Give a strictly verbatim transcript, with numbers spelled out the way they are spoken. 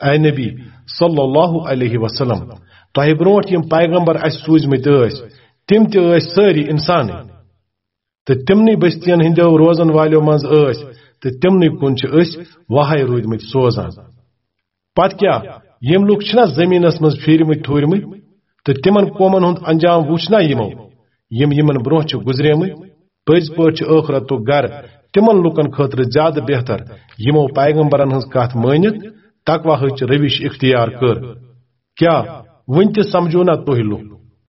A نبی صلی اللہ علیہ وسلم، تۄہہِ برونٛٹھ یِم پیغمبر اَسہِ سوٗزمٕتۍ ٲسۍ، تِم تہِ ٲسۍ سٲری اِنسانٕے۔ تہٕ تِمنٕے بستین ہٕنٛدیو روزن والیو منٛز ٲسۍ، تہٕ تِمنٕے کُن چھِ أسۍ وحی روٗدمٕتۍ سوزان۔ پتہٕ کیٛاہ، یِم لُکھ چھِنا زٔمیٖنس منٛز پھیٖرمٕتۍ تھوٗرمٕتۍ، تہٕ تِمن قومن ہُنٛد انجام وُچھ نا یِمو، یِم یِمن برونٛہہ چھِ گُزریمٕتۍ؟ پٔزۍ پٲٹھۍ چھُ ٲخرتُک گرٕ تِمن لُکن خٲطرٕ زیادٕ بہتر، یِمو پیغمبرن ہٕنٛز کتھ مٲنِتھ تقوی ہٕچ روش اختیار کٔر۔ کیٛاہ وُنہِ تہِ سمجھو نا تُہۍ لُکھ؟